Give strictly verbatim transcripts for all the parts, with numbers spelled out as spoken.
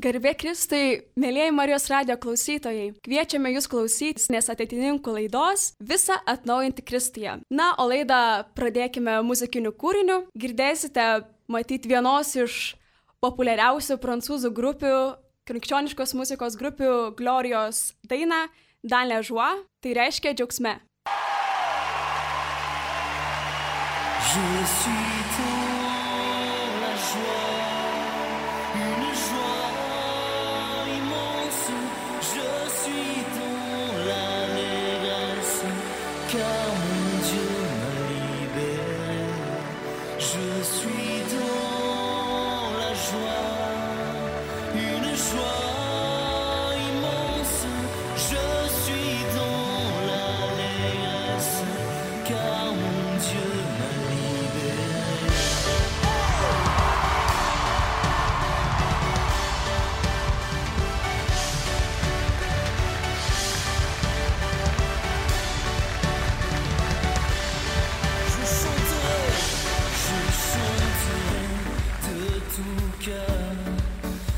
Garbė Kristui, mėlyjeji Marijos radijo klausytojai, kviečiame jūs klausytis nes ateitininkų laidos Visa atnaujinti Kristuje. Na, o laidą pradėkime muzikiniu kūriniu. Girdėsite matyti vienos iš populiariausių prancūzų grupių, krikščioniškos muzikos grupių Glorijos dainą Dans la joie, tai reiškia džiaugsme. Je suis dans la joie.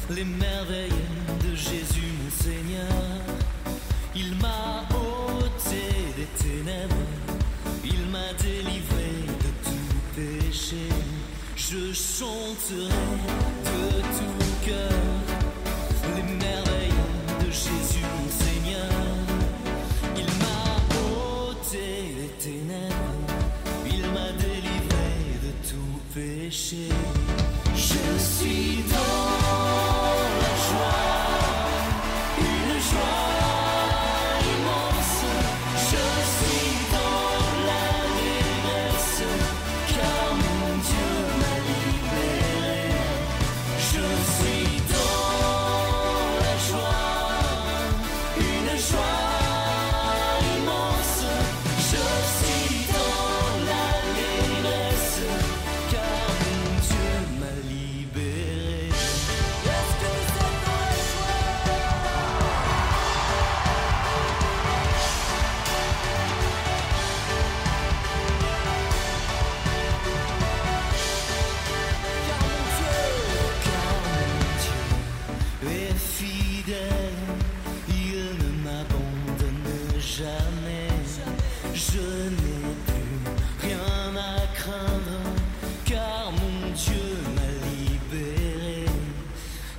Les merveilles de Jésus mon Seigneur, il m'a ôté des ténèbres, il m'a délivré de tout péché. Je chanterai de tout cœur les merveilles de Jésus mon Seigneur. Il m'a ôté des ténèbres, il m'a délivré de tout péché. Je suis dans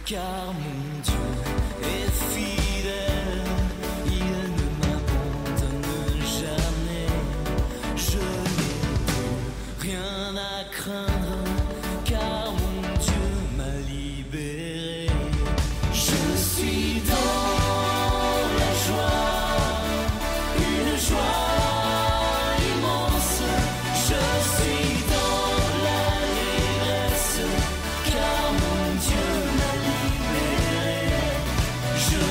car mon Dieu est fidèle, il ne m'abandonne jamais. Je n'ai plus rien à craindre, car mon Dieu m'a libéré. Je suis dans la joie, une joie immense. Je suis dans l'allégresse, car mon Dieu m'a libéré. Je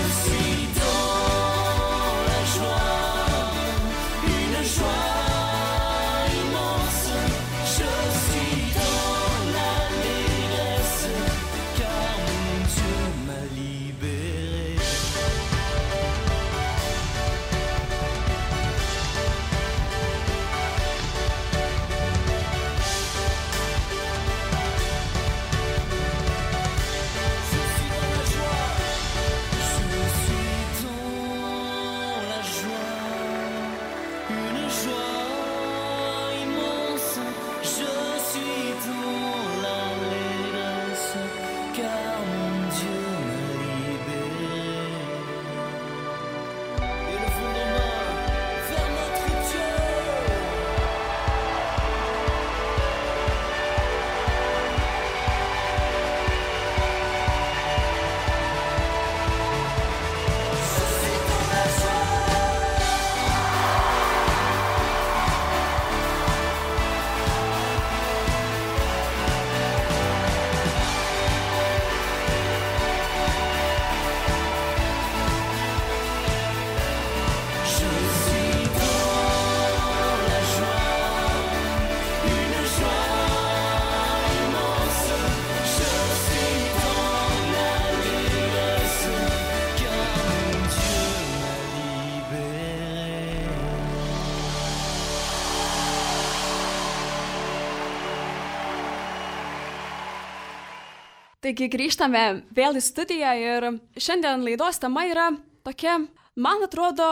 Taigi grįžtame vėl į studiją ir šiandien laidos tema yra tokia, man atrodo,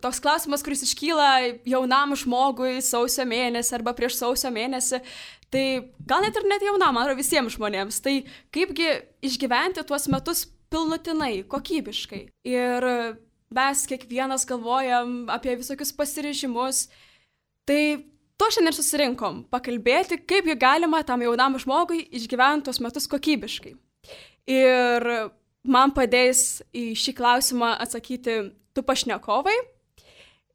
toks klausimas, kuris iškyla jaunam žmogui sausio mėnesį arba prieš sausio mėnesį. Tai gal net ir net jaunam, man atrodo, visiems žmonėms. Tai kaipgi išgyventi tuos metus pilnutinai, kokybiškai. Ir mes kiekvienas galvojam apie visokius pasiryžimus. Tai to šiandien susirinkom pakalbėti, kaipgi galima tam jaunam žmogui išgyventi tuos metus kokybiškai. Ir man padės į šį klausimą atsakyti du pašnekovai.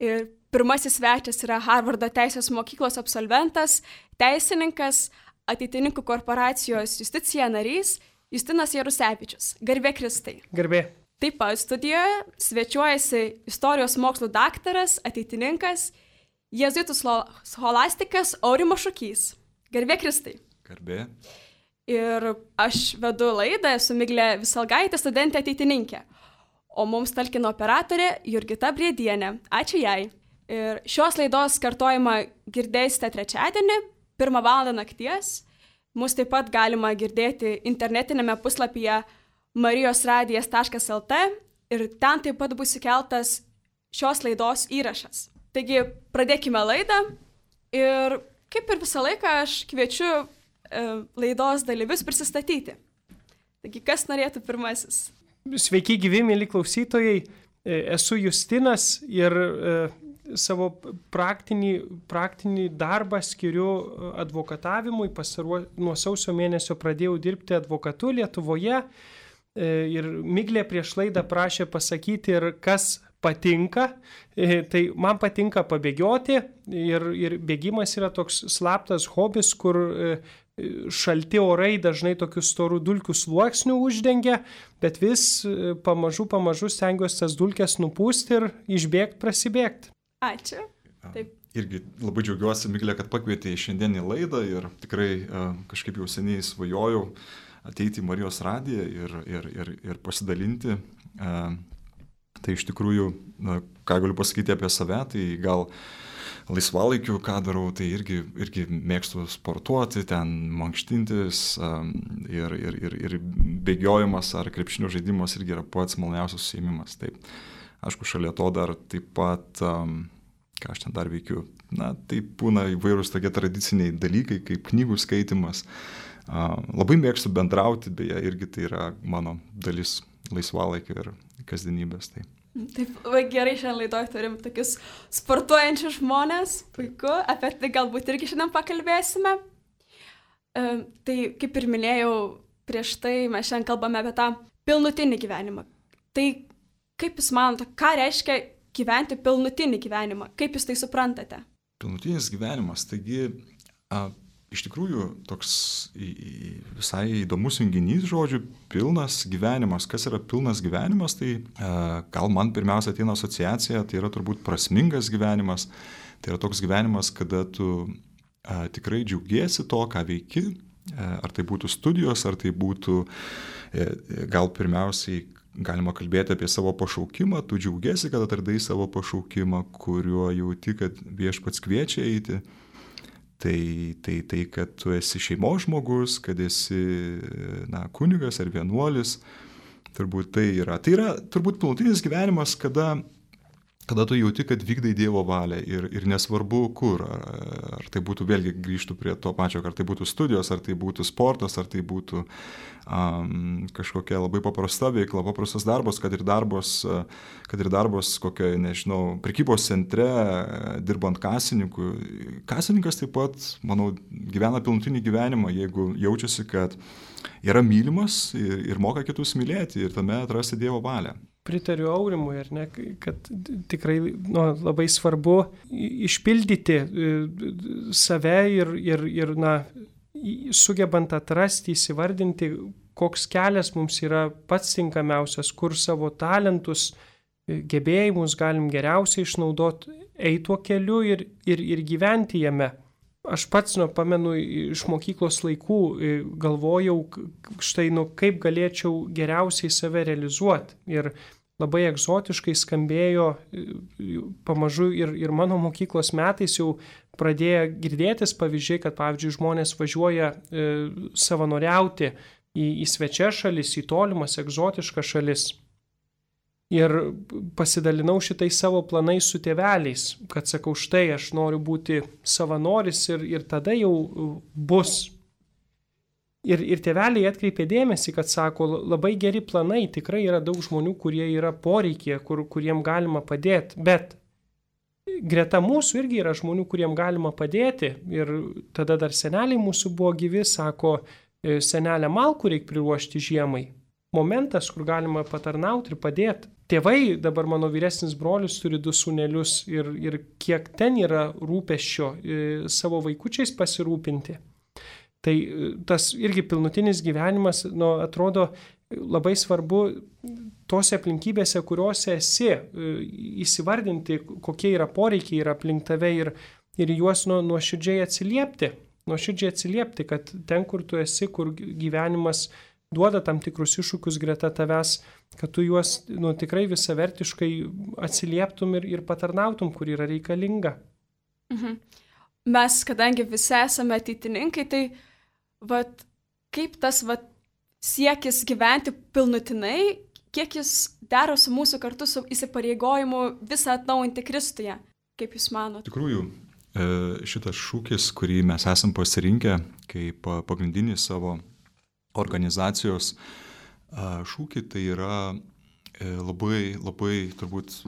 Ir pirmasis svečias yra Harvardo teisės mokyklos absolventas, teisininkas, Ateitininkų korporacijos Justicija narys Justinas Jarusevičius. Garbė Kristai. Garbė. Taip pat studijoje svečiuojasi istorijos mokslų daktaras, ateitininkas, jėzuitų scholastikas Aurimas Šukys. Garbė Kristai. Garbė. Ir aš vedu laidą, esu Miglė Visalgaitė, studentė ateitininkė. O mums talkino operatorė Jurgita Briedienė. Ačiū jai. Ir šios laidos kartojimą girdėsite trečiadienį, pirmą valandą nakties. Mūsų taip pat galima girdėti internetinėme puslapyje marijosradijas taškas el te ir ten taip pat bus įkeltas šios laidos įrašas. Taigi pradėkime laidą ir kaip ir visą laiką aš kviečiu e, laidos dalyvius prisistatyti. Taigi kas norėtų pirmasis? Sveiki gyvi, mėly klausytojai. Esu Justinas ir e, savo praktinį, praktinį darbą skiriu advokatavimui. Pastaruo, nuo sausio mėnesio pradėjau dirbti advokatu Lietuvoje e, ir Miglė prieš laidą prašė pasakyti ir kas patinka. E, tai man patinka pabėgioti ir, ir bėgimas yra toks slaptas hobis, kur e, šalti orai dažnai tokius storų dulkių sluoksnių uždengia, bet vis pamažu, pamažu stengiuosi tas dulkes nupūsti ir išbėgti, prasibėgti. Ačiū. Taip. Irgi labai džiaugiuosi, Miglė, kad pakvietė į šiandienį laidą ir tikrai kažkaip jau seniai svajojau ateiti į Marijos radiją ir, ir, ir, ir pasidalinti. Tai iš tikrųjų, ką galiu pasakyti apie save, tai gal laisvalaikiu, ką darau, tai irgi, irgi mėgstu sportuoti, ten mankštintis um, ir, ir, ir, ir bėgiojimas ar krepšinio žaidimas irgi yra pats maloniausias užsiėmimas. Taip, aišku, šalia to dar taip pat, um, ką aš ten dar veikiu, na, tai būna įvairūs tokie tradiciniai dalykai, kaip knygų skaitimas. Uh, labai mėgstu bendrauti, beje, irgi tai yra mano dalis laisvalaikio ir kasdienybės. Tai. Taip, gerai, šiandien laidoje turim tokius sportuojančius žmonės, puiku, apie tai galbūt irgi šiandien pakalbėsime. E, tai, kaip ir minėjau, prieš tai mes šiandien kalbame apie tą pilnutinį gyvenimą. Tai kaip jūs manote, ką reiškia gyventi pilnutinį gyvenimą? Kaip jūs tai suprantate? Pilnutinis gyvenimas, taigi a, iš tikrųjų toks į, į, visai įdomus junginys žodžių, pilnas gyvenimas. Kas yra pilnas gyvenimas, tai e, gal man pirmiausia ateina asociacija, tai yra turbūt prasmingas gyvenimas. Tai yra toks gyvenimas, kada tu e, tikrai džiaugiesi to, ką veiki, e, ar tai būtų studijos, ar tai būtų e, gal pirmiausiai galima kalbėti apie savo pašaukimą, tu džiaugiesi, kad atradai savo pašaukimą, kuriuo jauti, kad Viešpats kviečia eiti. Tai, tai, tai, kad tu esi šeimos žmogus, kad esi na, kunigas ar vienuolis, turbūt tai yra. Tai yra turbūt pilnutinis gyvenimas, kada, kada tu jauti, kad vykdai Dievo valią ir, ir nesvarbu kur. Ar, ar tai būtų, vėlgi grįžtų prie to pačio, ar tai būtų studijos, ar tai būtų sportas, ar tai būtų um, kažkokia labai paprasta veikla, paprastas darbas, kad ir darbas, kad ir darbas kokioje, nežinau, prekybos centre, dirbant kasininku. Kasininkas taip pat, manau, gyvena pilnutinį gyvenimą, jeigu jaučiasi, kad yra mylimas ir, ir moka kitus mylėti ir tame atrasti Dievo valią. Pritariu Aurimui, ar ne, kad tikrai nu, labai svarbu išpildyti save ir, ir, ir na, sugebant atrasti, įsivardinti, koks kelias mums yra pats tinkamiausias, kur savo talentus, gebėjimus galim geriausiai išnaudoti, eiti tuo keliu ir, ir, ir gyventi jame. Aš pats, nu, pamenu, iš mokyklos laikų galvojau, štai, nu, kaip galėčiau geriausiai save realizuoti. Ir labai egzotiškai skambėjo pamažu ir, ir mano mokyklos metais jau pradėjo girdėtis pavyzdžiai, kad, pavyzdžiui, žmonės važiuoja e, savanoriauti į, į svečias šalis, į tolimas, egzotiškas šalis. Ir pasidalinau šitais savo planais su tėveliais, kad sakau, štai aš noriu būti savanoris ir, ir tada jau bus. Ir, ir tėveliai atkreipė dėmesį, kad sako, labai geri planai, tikrai yra daug žmonių, kurie yra poreikie, kur, kuriem galima padėti, bet greta mūsų irgi yra žmonių, kuriem galima padėti. Ir tada dar seneliai mūsų buvo gyvi, sako, senelę malkų reikia priruošti žiemai. Momentas, kur galima patarnauti ir padėti. Tėvai, dabar mano vyresnis brolius turi du sūnelius ir, ir kiek ten yra rūpesčio e, savo vaikučiais pasirūpinti. Tai tas irgi pilnutinis gyvenimas, nu, atrodo labai svarbu tose aplinkybėse, kuriuose esi, e, įsivardinti, kokie yra poreikiai yra aplink tave ir, ir juos nu, nuoširdžiai atsiliepti. Nuoširdžiai atsiliepti, kad ten, kur tu esi, kur gyvenimas duoda tam tikrus iššūkius greta tavęs, kad tu juos nu, tikrai visavertiškai atsilieptum ir, ir patarnautum, kur yra reikalinga. Mhm. Mes, kadangi visi esame ateitininkai, tai vat, kaip tas vat, siekis gyventi pilnutinai, kiek jis dera su mūsų kartu su įsipareigojimu visą atnaujinti Kristuje, kaip jūs manote? Tikrųjų, šitas šūkis, kurį mes esam pasirinkę kaip pagrindinį savo organizacijos šūkį, tai yra labai, labai turbūt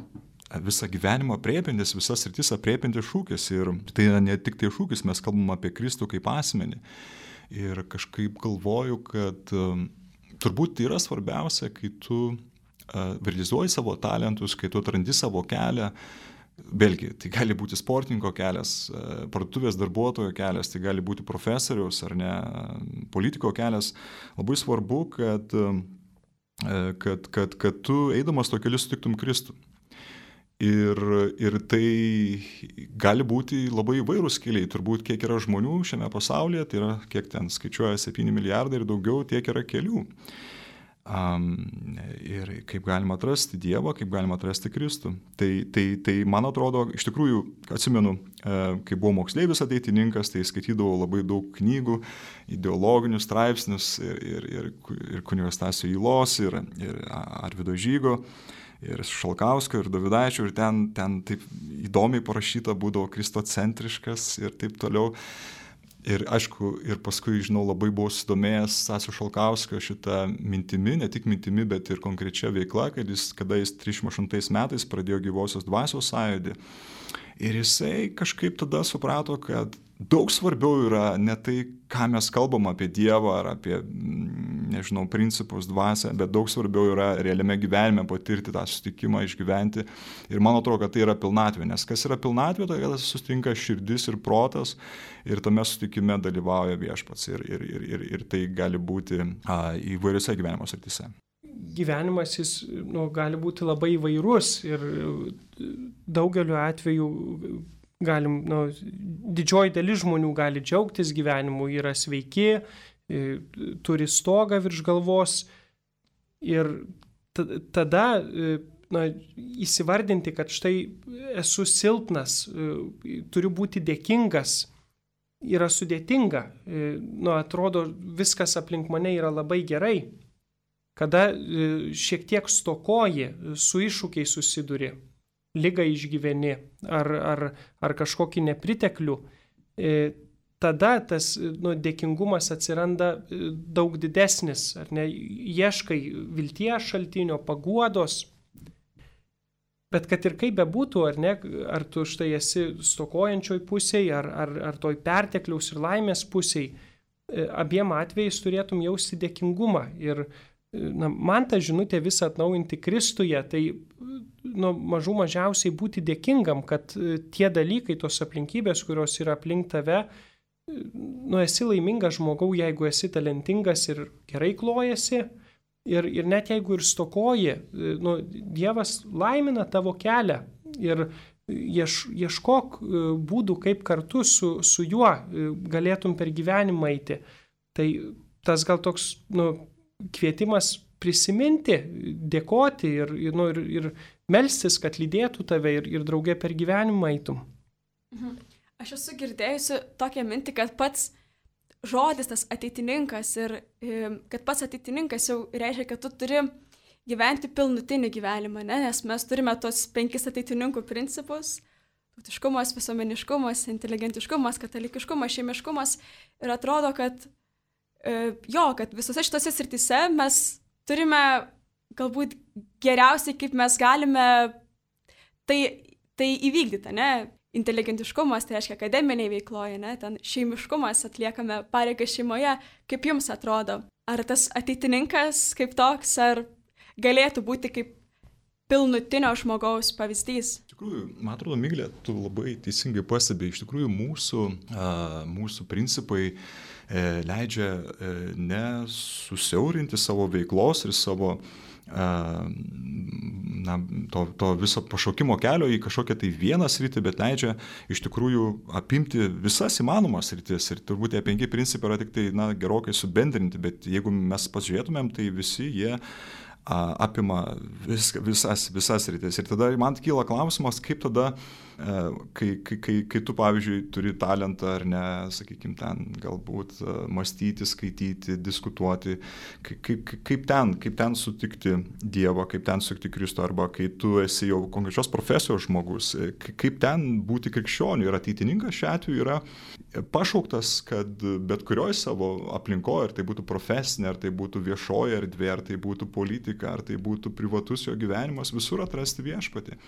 visą gyvenimą aprėpiantis, visas sritis aprėpiantis šūkis. Ir tai yra ne tik tai šūkis, mes kalbam apie Kristų kaip asmenį. Ir kažkaip galvoju, kad turbūt tai yra svarbiausia, kai tu realizuoji savo talentus, kai tu atrandi savo kelią. Vėlgi, tai gali būti sportininko kelias, parduotuvės darbuotojo kelias, tai gali būti profesoriaus ar ne, politiko kelias. Labai svarbu, kad, kad, kad, kad tu eidamas to keliu sutiktum Kristų. Ir, ir tai gali būti labai įvairūs keliai. Turbūt kiek yra žmonių šiame pasaulyje, tai yra kiek ten skaičiuoja septyni milijardai ir daugiau, tiek yra kelių. Um, ir kaip galima atrasti Dievą, kaip galima atrasti Kristų. Tai, tai, tai man atrodo, iš tikrųjų, atsimenu, kai buvau moksleivis ateitininkas, tai skaitydavau labai daug knygų, ideologinius straipsnius ir, ir, ir, ir kunigo Stasio Ylos, ir, ir Arvydo Žygo, ir Šalkauskio, ir Dovydaičio, ir ten, ten taip įdomiai parašyta būdavo kristocentriškas ir taip toliau. Ir aišku, ir paskui, žinau, labai buvau susidomėjęs Stasio Šalkauskio šitą mintimi, ne tik mintimi, bet ir konkrečia veikla, kad jis, kada jis trisdešimt aštuntais metais pradėjo Gyvosios dvasios sąjūdį. Ir jisai kažkaip tada suprato, kad daug svarbiau yra ne tai, ką mes kalbam apie Dievą ar apie, nežinau, principus, dvasią, bet daug svarbiau yra realiame gyvenime patirti tą susitikimą, išgyventi. Ir man atrodo, kad tai yra pilnatvė, nes kas yra pilnatvė, tai kada susitinka širdis ir protas ir tame susitikime dalyvauja Viešpats. Ir, ir, ir, ir, ir tai gali būti a, įvairiose gyvenimo srityse. Gyvenimas jis nu, gali būti labai įvairus ir daugeliu atveju galim, nu, didžioji dalis žmonių gali džiaugtis gyvenimu, yra sveiki, turi stogą virš galvos ir t- tada na, įsivardinti, kad štai esu silpnas, turiu būti dėkingas, yra sudėtinga. Nu, atrodo, viskas aplink mane yra labai gerai. Kada šiek tiek stokoji, su iššūkiais susiduri, ligą išgyveni ar, ar, ar kažkokį nepriteklių, tada tas nu, dėkingumas atsiranda daug didesnis, ar ne, ieškai vilties šaltinio, paguodos. Bet kad ir kaip bebūtų, ar ne, ar tu štai esi stokojančioj pusėje, ar, ar, ar toj pertekliaus ir laimės pusėje, abiem atvejais turėtum jausti dėkingumą. Ir na, man ta žinutė visą atnaujinti Kristuje, tai nu, mažų mažiausiai būti dėkingam, kad tie dalykai, tos aplinkybės, kurios yra aplink tave, nu, esi laimingas žmogau, jeigu esi talentingas ir gerai klojasi, ir, ir net jeigu ir stokoji, nu, Dievas laimina tavo kelią ir ieš, ieškok būdų, kaip kartu su, su juo galėtum per gyvenimą eiti. Tai tas gal toks, nu, kvietimas prisiminti, dėkoti ir, ir, nu, ir, ir melstis, kad lydėtų tave ir, ir draugė per gyvenimą eitum. Mhm. Aš esu girdėjusi tokią mintį, kad pats žodis tas ateitininkas ir kad pats ateitininkas jau reiškia, kad tu turi gyventi pilnutinį gyvenimą, ne? Nes mes turime tos penkis ateitininkų principus – tautiškumas, visuomeniškumas, inteligentiškumas, katalikiškumas, šeimiškumas ir atrodo, kad jo, kad visose šitose srityse mes turime galbūt geriausiai, kaip mes galime tai, tai įvykdyti, ne? Inteligentiškumas, tai reiškia akademiniai veikloje, ne? Ten šeimiškumas, atliekame pareigą šeimoje, kaip jums atrodo? Ar tas ateitininkas kaip toks, ar galėtų būti kaip pilnutinio žmogaus pavyzdys? Iš tikrųjų, man atrodo, Miglė, tu labai teisingai pastebėjai, iš tikrųjų mūsų, a, mūsų principai e, leidžia e, ne susiaurinti savo veiklos ir savo na, to, to viso pašaukimo kelio į kažkokią tai vieną sritį, bet leidžia iš tikrųjų apimti visas įmanomas sritis. Ir turbūt tie penki principai yra tik tai na, gerokai subendrinti, bet jeigu mes pasižiūrėtumėm, tai visi jie a, apima vis, visas, visas sritis. Ir tada man kyla klausimas, kaip tada, a, kai, kai, kai, kai tu, pavyzdžiui, turi talentą ar ne, sakykime, ten galbūt a, mąstyti, skaityti, diskutuoti, kaip, kaip, kaip, ten, kaip ten sutikti Dievą, kaip ten sutikti Kristų, arba kai tu esi jau konkrečios profesijos žmogus, kaip ten būti krikščioniu ir ateitininkas šiuo atveju yra pašauktas, kad bet kurioje savo aplinkoje, ar tai būtų profesinė, ar tai būtų viešoji erdvė, ar tai būtų politika, ar tai būtų privatus jo gyvenimas, visur atrasti viešpatį.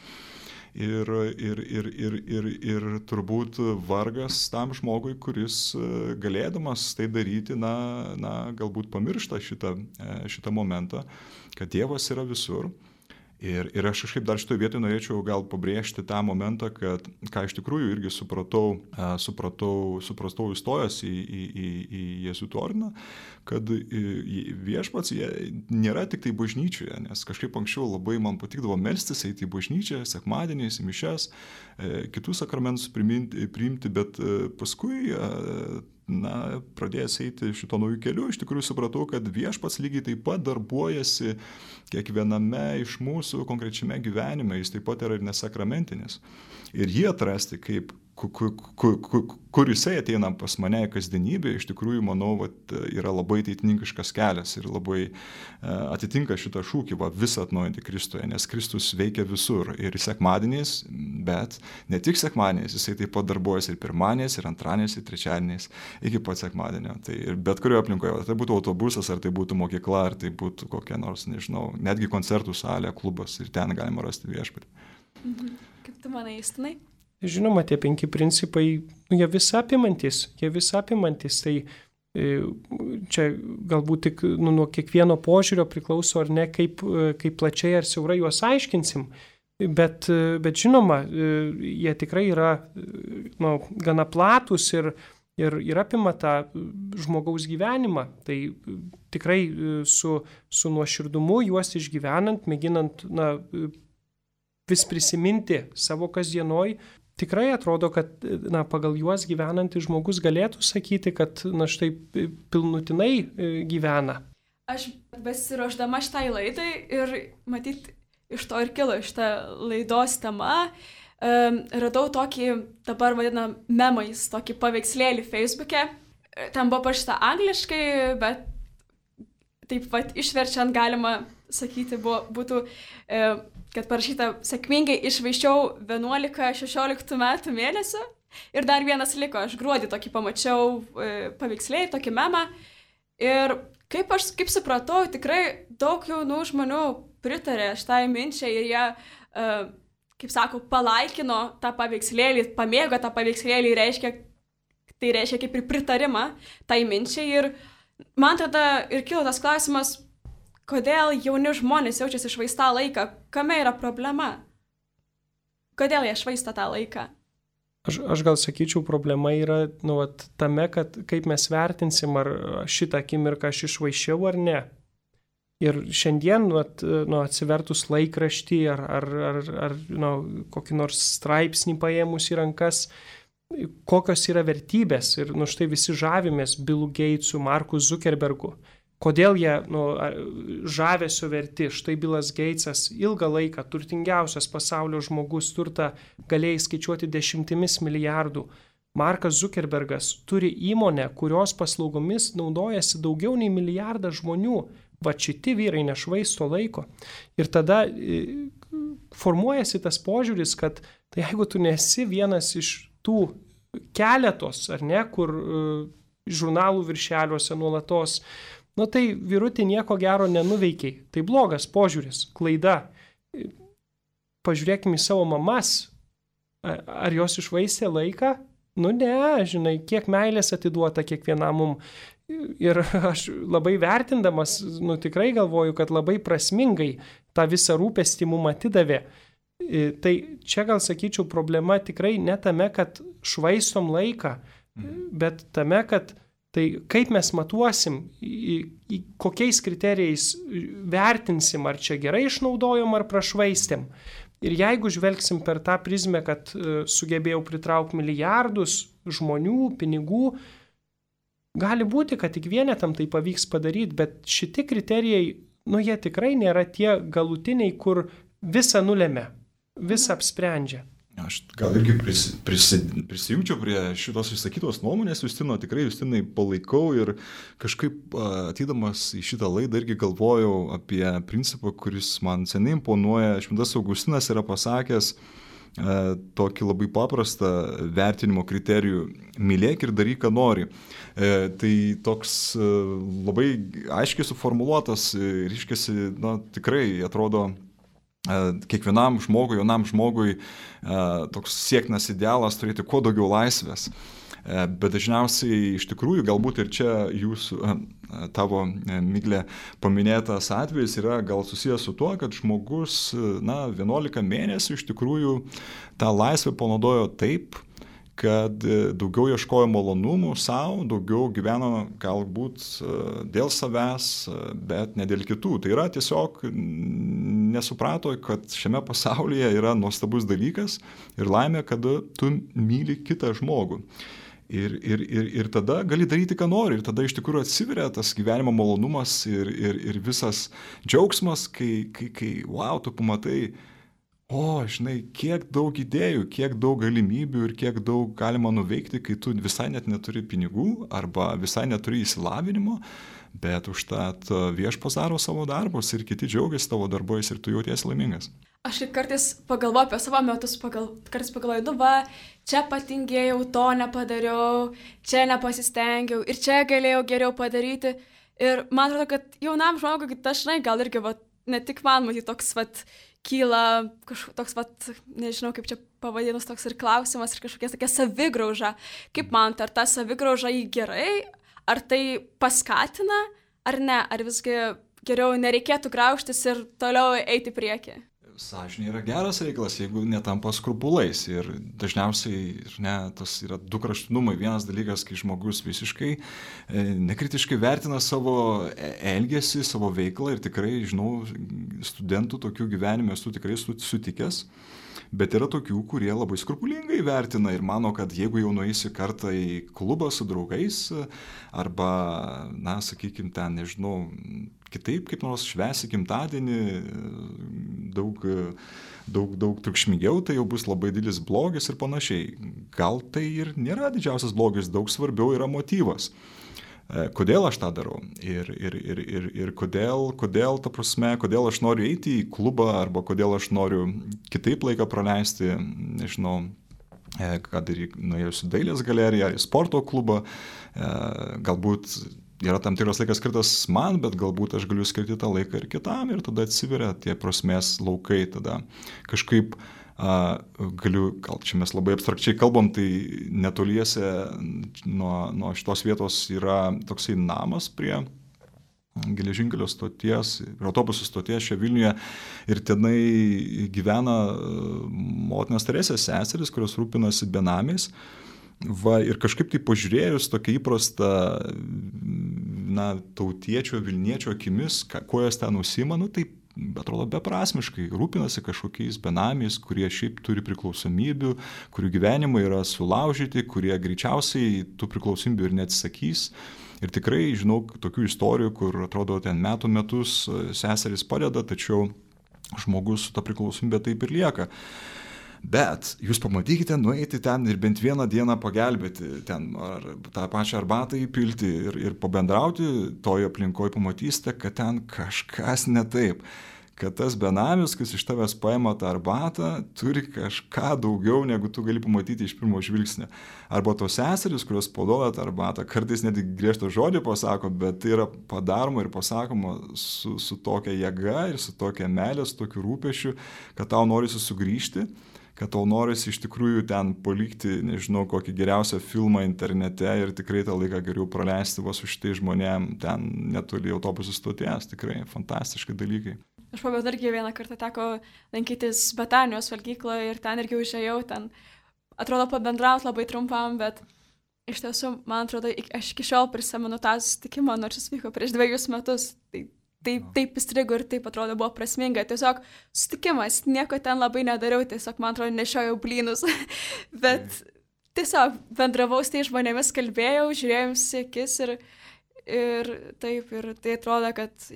Ir, ir, ir, ir, ir, ir turbūt vargas tam žmogui, kuris galėdamas tai daryti, na, na, galbūt pamiršta šitą, šitą momentą, kad Dievas yra visur. Ir, ir aš kažkaip dar šitoje vietoje norėčiau gal pabrėžti tą momentą, kad, ką iš tikrųjų irgi supratau, supratau, supratau įstojęs į, į, į, į jėzuitų ordiną, kad viešpats nėra tik tai bažnyčioje, nes kažkaip anksčiau labai man patikdavo melstis, eiti į bažnyčią, sekmadieniais, į mišias, kitus sakramentus priimti, priimti, bet paskui na, pradėjęs eiti šito naujų kelių, iš tikrųjų supratau, kad viešpats lygiai taip pat darbuojasi kiekviename iš mūsų konkrečiame gyvenime, jis taip pat yra ir nesakramentinis. Ir jį atrasti, kaip, kur, kur, kur, kur jisai ateina pas mane į kasdienybę, iš tikrųjų, manau, vat, yra labai ateitininkiškas kelias ir labai uh, atitinka šitą šūkį, va, visą atnaujinti Kristuje, nes Kristus veikia visur ir sekmadieniais, bet ne tik sekmadieniais, jisai taip pat darbuojasi ir pirmadieniais, ir antradieniais, ir trečiadieniais, iki pat sekmadienio. Tai ir bet kurioje aplinkoje, ar tai būtų autobusas, ar tai būtų mokykla, ar tai būtų kokia nors, nežinau, netgi koncertų salė, klubas ir ten galima rasti viešpatį. Mhm. Kaip tu manai, Justinai? Žinoma, tie penki principai, jie vis apimantis, jie vis apimantis, tai čia galbūt tik nu, nuo kiekvieno požiūrio priklauso ar ne, kaip, kaip plačiai ar siaurai juos aiškinsim, bet, bet žinoma, jie tikrai yra nu, gana platus ir, ir, ir apima tą žmogaus gyvenimą, tai tikrai su, su nuoširdumu juos išgyvenant, mėginant na, vis prisiminti savo kasdienoj, tikrai atrodo, kad na, pagal juos gyvenantis žmogus galėtų sakyti, kad na, štai pilnutinai gyvena. Aš besiruošdama šitai laidai ir matyt iš to ir kilo šitą laidos tema, um, radau tokį, dabar vadinam memais, tokį paveikslėlį Facebook'e. Ten buvo parašyta angliškai, bet taip pat išverčiant galima sakyti, buvo, būtų, e, kad parašyta sėkmingai išvaiščiau vienuolika šešiolika metų mėnesių ir dar vienas liko, aš gruodį tokį pamačiau e, paveikslėlį, tokį memą ir kaip aš kaip supratau, tikrai daug jaunų žmonių pritarė šitai minčiai ir jie, e, kaip sako, palaikino tą paveikslėlį, pamėgo tą paveikslėlį, reiškia, tai reiškia kaip ir pritarimą tai minčiai ir man tada ir kilo tas klausimas, kodėl jauni žmonės jaučiasi švaistą laiką, kame yra problema? Kodėl jie švaisto tą laiką? Aš, aš gal sakyčiau, problema yra nu, vat, tame, kad kaip mes vertinsim, ar šitą akimirką aš išvaišiau ar ne. Ir šiandien, vat, nu, atsivertus laikraštį ar, ar, ar, ar nu, kokį nors straipsnį paėmus į rankas, kokios yra vertybės. Ir nu, štai visi žavimės Billu Gatesu, Marku Zuckerbergu. Kodėl jie nu, žavesio verti? Štai Billas Gatesas ilgą laiką turtingiausias pasaulio žmogus, turtą galėjai skaičiuoti dešimtimis milijardų Markas Zuckerbergas turi įmonę, kurios paslaugomis naudojasi daugiau nei milijardas žmonių. Va šiti vyrai nešvaisto laiko. Ir tada formuojasi tas požiūris, kad tai jeigu tu nesi vienas iš tų keletos, ar ne, kur žurnalų viršeliuose nuolatos, nu tai vyrutį nieko gero nenuveikiai. Tai blogas požiūris, klaida. Pažiūrėkime į savo mamas. Ar jos išvaistė laiką? Nu ne, žinai, kiek meilės atiduota kiekvienam mum. Ir aš labai vertindamas, nu tikrai galvoju, kad labai prasmingai tą visą rūpestį mum atidavė. Tai čia gal sakyčiau problema tikrai ne tame, kad švaistom laiką, bet tame, kad tai kaip mes matuosim, į, į kokiais kriterijais vertinsim, ar čia gerai išnaudojom, ar prašvaistėm. Ir jeigu žvelgsim per tą prizmę, kad sugebėjau pritraukti milijardus žmonių, pinigų, gali būti, kad tik vienetam tai pavyks padaryti, bet šitie kriterijai, nu jie tikrai nėra tie galutiniai, kur visą nulemia, visą apsprendžia. Aš gal irgi prisi, prisi, prisijungčiau prie šitos išsakytos nuomonės, Justino, tikrai Justinai palaikau ir kažkaip atydamas į šitą laidą irgi galvojau apie principą, kuris man seniai imponuoja. Šventas Augustinas yra pasakęs e, tokį labai paprastą vertinimo kriterijų – mylėk ir daryk, ką nori. E, tai toks e, labai aiškiai suformuluotas ir iškėsi, na, tikrai atrodo, kiekvienam žmogui, jaunam žmogui toks siektinas idealas turėti kuo daugiau laisvės. Bet dažniausiai iš tikrųjų galbūt ir čia jūsų, tavo, Miglė, paminėtas atvejis yra gal susijęs su tuo, kad žmogus, na, vienuolika mėnesių iš tikrųjų tą laisvę panaudojo taip, kad daugiau ieškojo malonumų savo, daugiau gyveno galbūt dėl savęs, bet ne dėl kitų. Tai yra tiesiog nesuprato, kad šiame pasaulyje yra nuostabus dalykas ir laimė, kad tu myli kitą žmogų. Ir, ir, ir, ir tada gali daryti, ką nori. Ir tada iš tikrųjų atsiveria tas gyvenimo malonumas ir, ir, ir visas džiaugsmas, kai, kai, kai wow, tu pamatai, o, žinai, kiek daug idėjų, kiek daug galimybių ir kiek daug galima nuveikti, kai tu visai net neturi pinigų arba visai neturi įsilavinimo, bet užtat viešpats daro savo darbus ir kiti džiaugiasi tavo darbais ir tu jautiesi laimingas. Aš kartais pagalvoju apie savo metus, pagal, kartais pagalvoju, nu va, čia patingėjau, to nepadariau, čia nepasistengiau ir čia galėjau geriau padaryti. Ir man atrodo, kad jaunam žmogui dažnai gal irgi, va, ne tik man, matyti, toks, va, kyla kažkoks toks, vat, nežinau kaip čia pavadinus, toks ir klausimas ir kažkokia tokia savigrauža. Kaip man, ar ta savigrauža jį gerai, ar tai paskatina, ar ne, ar visgi geriau nereikėtų graužtis ir toliau eiti priekį? Sąžinė yra geras reikalas, jeigu netampa skrupulais. Ir dažniausiai, ne, tas yra du kraštinumai. Vienas dalykas, kai žmogus visiškai e, nekritiškai vertina savo elgesį, savo veiklą ir tikrai, žinau, studentų tokių gyvenime esu tikrai sutikęs. Bet yra tokių, kurie labai skrupulingai vertina ir mano, kad jeigu jau nueisi kartą į klubą su draugais arba, na, sakykime, ten, nežinau, kitaip kaip nors švęsi gimtadienį, daug, daug, daug triukšmingiau, tai jau bus labai didelis blogis ir panašiai. Gal tai ir nėra didžiausias blogis, daug svarbiau yra motyvas. Kodėl aš tą darau ir, ir, ir, ir, ir kodėl, kodėl, ta prasme, kodėl aš noriu eiti į klubą arba kodėl aš noriu kitaip laiką praleisti, nežinau, kad ir nuėjus į dailės galeriją ar į sporto klubą, galbūt yra tam tikras laikas skirtas man, bet galbūt aš galiu skirti tą laiką ir kitam ir tada atsiveria tie prasmės laukai, tada kažkaip Uh, galiu, gal čia mes labai abstrakčiai kalbam, tai netoliese nuo, nuo šitos vietos yra toksai namas prie geležinkelio stoties, autobusų stoties čia Vilniuje ir tenai gyvena motinos Teresės seserys, kurios rūpinasi benamiais. Va, ir kažkaip tai pažiūrėjus tokia įprasta, na, tautiečio, Vilniečio akimis, ką, kuo jos ten užsiima, nu taip, atrodo beprasmiškai, rūpinasi kažkokiais benamiais, kurie šiaip turi priklausomybių, kurių gyvenimai yra sulaužyti, kurie greičiausiai tų priklausomybių ir neatsisakys. Ir tikrai žinau tokių istorijų, kur atrodo ten metų metus seserys padeda, tačiau žmogus su ta priklausomybė taip ir lieka. Bet jūs pamatykite nueiti ten ir bent vieną dieną pagelbėti, ten ar tą pačią arbatą įpilti ir, ir pabendrauti toje aplinkoje, pamatysite, kad ten kažkas ne taip. Kad tas benamis, kas iš tavęs paima tą arbatą, turi kažką daugiau, negu tu gali pamatyti iš pirmo žvilgsnio. Arba tos seserys, kurios paduoda tą arbatą, kartais net griežtą žodį pasako, bet tai yra padaroma ir pasakoma su, su tokia jėga ir su tokia meilė, su tokiu rūpešiu, kad tau norisi sugrįžti, kad tau norisi iš tikrųjų ten palikti, nežinau, kokį geriausią filmą internete ir tikrai tą laiką geriau praleisti va su šitai žmonėm ten netoli autobusų stoties. Tikrai fantastiški dalykai. Aš pamenu, irgi vieną kartą teko lankytis Betanijos valgykloje ir ten irgi užėjau, ten atrodo pabendrauti labai trumpam, bet iš tiesų, man atrodo, aš iki šiol prisimenu tą susitikimą, nors jis vyko prieš dviejus metus. Tai taip, taip įstrigo ir taip atrodo buvo prasminga. Tiesiog susitikimas, nieko ten labai nedariau, tiesiog, man atrodo, nešiojau blynus, bet tiesiog bendravau su tai žmonėmis, kalbėjau, žiūrėjau į akis ir, ir taip, ir tai atrodo, kad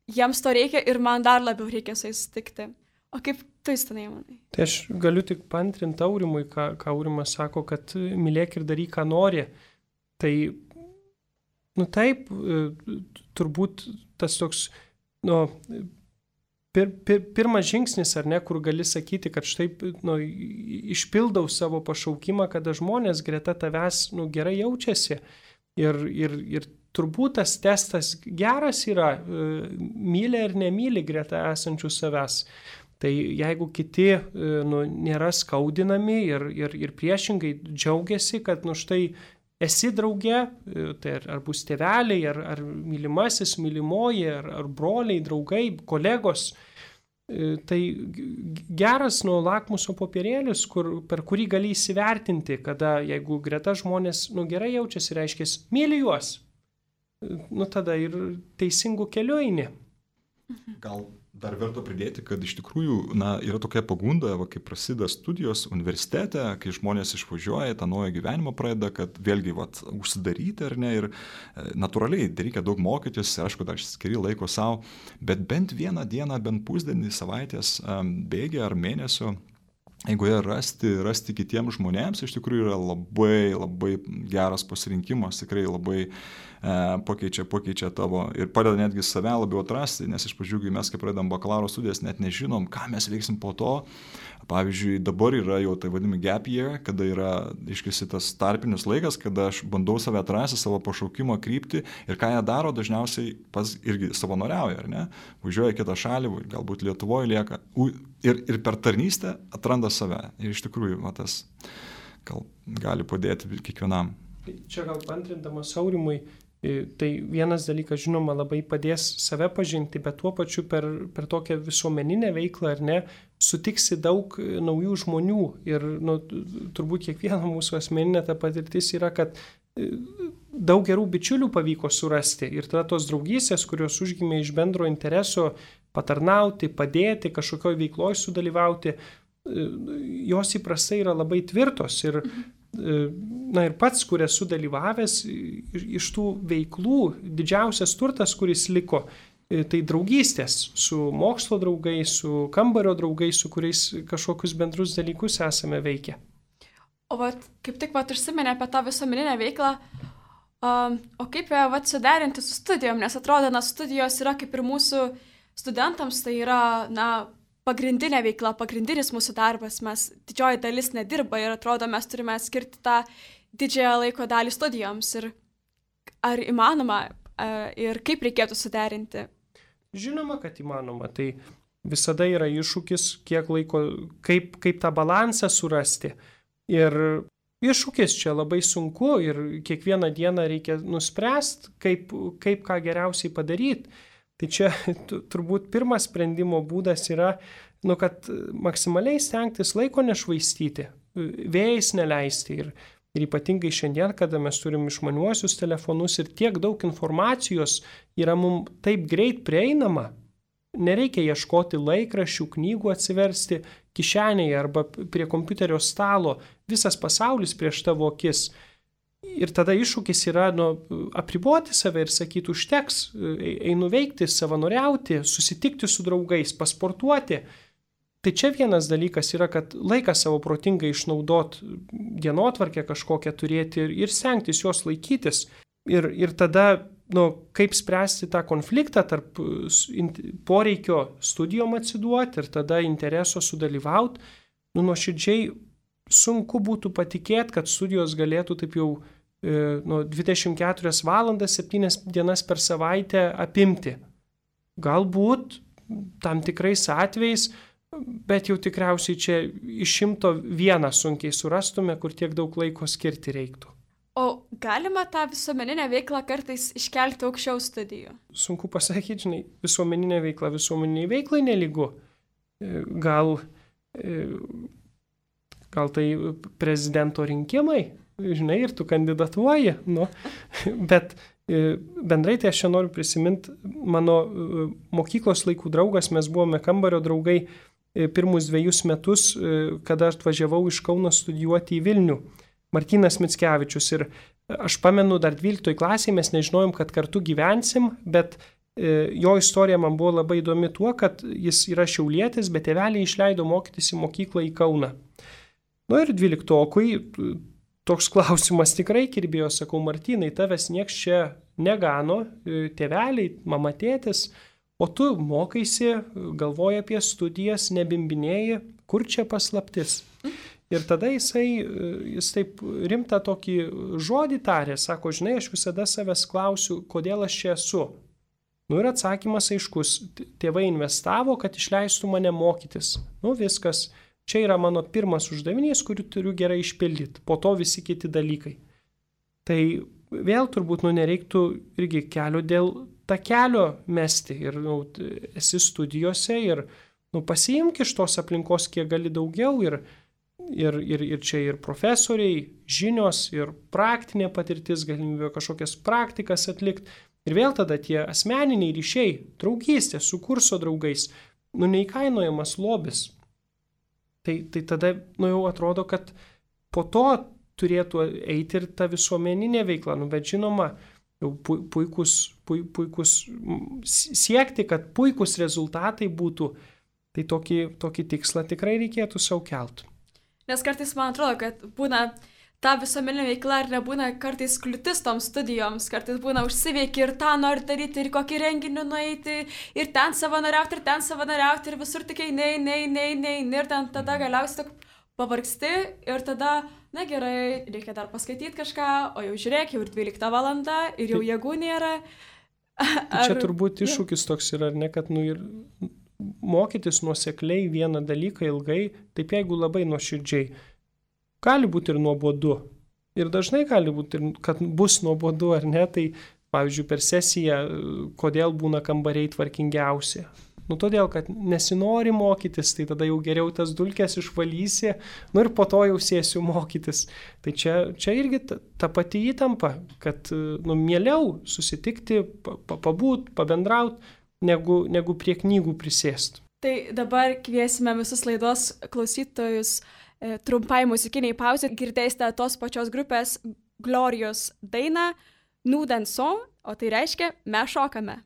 jiems to reikia ir man dar labiau reikia su jais sutikti. O kaip tu įstanai, manai? Tai aš galiu tik paantrinti Aurimui, ką, ką Aurimas sako, kad mylėk ir daryk, ką nori. Tai, nu taip, turbūt tas toks, nu, pir, pir, pirmas žingsnis, ar ne, kur gali sakyti, kad štai, nu, išpildau savo pašaukimą, kada žmonės greta tavęs, nu, gerai jaučiasi. Ir, ir, ir turbūt tas testas geras yra, myli ar nemyli greta esančių savęs. Tai jeigu kiti, nu, nėra skaudinami ir, ir, ir priešingai džiaugiasi, kad, nu, štai esi drauge, tai ar, ar bus tėveliai, ar, ar mylimasis, mylimoji, ar, ar broliai, draugai, kolegos, tai geras, nu, lakmuso popierėlis, kur, per kurį gali įsivertinti, kada, jeigu greta žmonės, nu, gerai jaučiasi, reiškia, myli juos. Nu, tada ir teisingų kelių eini. Gal dar verta pridėti, kad iš tikrųjų, na, yra tokia pagunda, va, kai prasideda studijos universitete, kai žmonės išvažiuoja, tą naują gyvenimą pradeda, kad vėlgi, va, užsidaryti ar ne, ir natūraliai reikia daug mokytis, ir aišku, dar skiri laiko savo, bet bent vieną dieną, bent pusdienį savaitės bėgė ar mėnesio, jeigu jie rasti, rasti kitiems žmonėms, iš tikrųjų yra labai, labai geras pasirinkimas, tikrai labai e, pakeičia, pakeičia tavo ir padeda netgi save labiau atrasti, nes iš pradžių, kai mes, kai pradedam bakalauro studijas, net nežinom, ką mes veiksim po to. Pavyzdžiui, dabar yra jau tai vadinami gap year, kada yra, iškisi tas tarpinis laikas, kada aš bandau save atrasti, savo pašaukimo kryptį ir ką jie daro, dažniausiai pas irgi savanoriauja, ar ne? Važiuoja į kitą šalį, galbūt Lietuvoje lieka ir, ir per tarnystę atranda save. Ir iš tikrųjų, va, tas gal gali padėti kiekvienam. Čia gal antrindamas Aurimui, tai vienas dalykas, žinoma, labai padės save pažinti, bet tuo pačiu per, per tokią visuomeninę veiklą, ar ne, sutiksi daug naujų žmonių ir, nu, turbūt kiekvieno mūsų asmeninė ta patirtis yra, kad daug gerų bičiulių pavyko surasti ir tada tos draugystės, kurios užgimė iš bendro intereso patarnauti, padėti, kažkokioj veikloj sudalyvauti, jos įprastai yra labai tvirtos ir na ir pats, kur esu dalyvavęs iš tų veiklų, didžiausias turtas, kuris liko, tai draugystės su mokslo draugais, su kambario draugais, su kuriais kažkokius bendrus dalykus esame veikę. O vat, kaip tik vat užsiminė apie tą visuomeninę veiklą, um, o kaip vat suderinti su studijom, nes atrodo, na, studijos yra kaip ir mūsų studentams, tai yra, na, pagrindinė veikla, pagrindinis mūsų darbas, mes didžioji dalis nedirba ir atrodo, mes turime skirti tą didžiąją laiko dalį studijoms ir ar įmanoma ir kaip reikėtų suderinti? Žinoma, kad įmanoma, tai visada yra iššūkis, kiek laiko, kaip, kaip tą balansą surasti ir iššūkis čia labai sunku ir kiekvieną dieną reikia nuspręsti, kaip, kaip ką geriausiai padaryti. Tai čia turbūt pirmas sprendimo būdas yra, nu, kad maksimaliai stengtis laiko nešvaistyti, vėjais neleisti ir, ir ypatingai šiandien, kada mes turim išmaniuosius telefonus ir tiek daug informacijos yra mums taip greit prieinama, nereikia ieškoti laikraščių, knygų atsiversti kišenėje arba prie kompiuterio stalo, visas pasaulis prieš tavo akis. Ir tada iššūkis yra, nu, apriboti save ir sakyti, užteks, einu veikti, savanoriauti, susitikti su draugais, pasportuoti. Tai čia vienas dalykas yra, kad laiką savo protingai išnaudot, dienotvarkę kažkokią turėti ir, ir stengtis jos laikytis. Ir, ir tada, nu, kaip spręsti tą konfliktą tarp poreikio studijom atsiduoti ir tada intereso sudalyvauti, nu, nuoširdžiai sunku būtų patikėti, kad studijos galėtų taip jau e, nu, dvidešimt keturias valandas, septynias dienas per savaitę apimti. Galbūt tam tikrais atvejais, bet jau tikriausiai čia iš šimto vieną sunkiai surastume, kur tiek daug laiko skirti reiktų. O galima tą visuomeninę veiklą kartais iškelti aukščiau studijų? Sunku pasakyti, žinai, visuomeninė veikla visuomeniniai veiklai nelygu. Gal, gal tai prezidento rinkimai, žinai, ir tu kandidatuoji, nu, bet bendrai tai aš čia noriu prisiminti mano mokyklos laikų draugas, mes buvome kambario draugai pirmus dviejus metus, kada atvažiavau iš Kauno studijuoti į Vilnių, Martynas Mickevičius. Ir aš pamenu, dar dvyliktoj klasėje mes nežinojom, kad kartu gyvensim, bet jo istorija man buvo labai įdomi tuo, kad jis yra šiaulietis, bet tėveliai išleido mokytis į mokyklą į Kauną. Nu ir dvyliktokui toks klausimas tikrai kirbėjo, sakau, Martynai, tavęs nieks čia negano, tėveliai, mama, tėtis, o tu mokaisi, galvoji apie studijas, nebimbinėji, kur čia paslaptis. Ir tada jisai, jis taip rimtą tokį žodį tarė, sako, žinai, aš visada savęs klausiu, kodėl aš čia esu. Nu ir atsakymas aiškus, tėvai investavo, kad išleistų mane mokytis. Nu viskas. Čia yra mano pirmas uždavinys, kurį turiu gerai išpildyti, po to visi kiti dalykai. Tai vėl turbūt nu, nereiktų irgi kelio dėl takelio mesti. Ir nu, esi studijose ir nu, pasiimk iš tos aplinkos kiek gali daugiau. Ir, ir, ir, ir čia ir profesoriai, žinios, ir praktinė patirtis, galimybė kažkokias praktikas atlikti. Ir vėl tada tie asmeniniai ryšiai, draugystė su kurso draugais, nu neįkainojamas lobis. Tai, tai tada nu, jau atrodo, kad po to turėtų eiti ir ta visuomeninė veikla. Nu, bet žinoma, jau puikus, puikus siekti, kad puikus rezultatai būtų, tai tokį, tokį tikslą tikrai reikėtų sau kelt. Nes kartais man atrodo, kad būna ta visuomeninė veikla ir nebūna kartais kliūtis toms studijoms, kartais būna užsiveiki ir tą nori daryti, ir kokį renginį nueiti, ir ten savanoriauti, ir ten savanoriauti, ir visur tik eini, eini, eini, eini, ir ten tada galiausiai tik pavargsti ir tada, na gerai, reikia dar paskaityti kažką, o jau žiūrėk, jau ir dvylikta valanda, ir jau jėgų nėra. Ar... Čia turbūt iššūkis toks yra, ar ne, kad nu ir mokytis nuosekliai vieną dalyką ilgai, taip jeigu labai nuoširdžiai. Gali būti ir nuobodu. Ir dažnai gali būti, kad bus nuobodu ar ne, tai pavyzdžiui per sesiją, kodėl būna kambariai tvarkingiausi. Nu todėl, kad nesinori mokytis, tai tada jau geriau tas dulkes išvalysi, nu ir po to jau sėsiu mokytis. Tai čia, čia irgi ta, ta pati įtampa, kad nu, mieliau susitikti, pabūt, pabendraut, negu, negu prie knygų prisėst. Tai dabar kviesime visus laidos klausytojus trumpai muzikiniai pauzė, girdėsite tos pačios grupės Glorijos dainą Nous dansons, o tai reiškia mes šokame.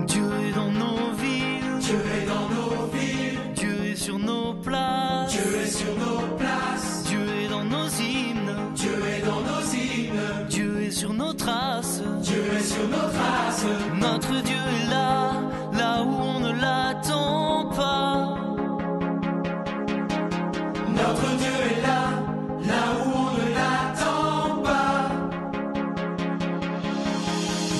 Dieu est dans nos villes, Dieu est dans nos villes, Dieu est sur nos places, Dieu est sur nos places, Dieu est dans nos hymnes, Dieu est dans nos hymnes, Dieu est sur nos traces, Dieu est sur nos traces. Notre Dieu est là, là où on ne l'attend pas. Notre Dieu est là, là où on ne l'attend pas.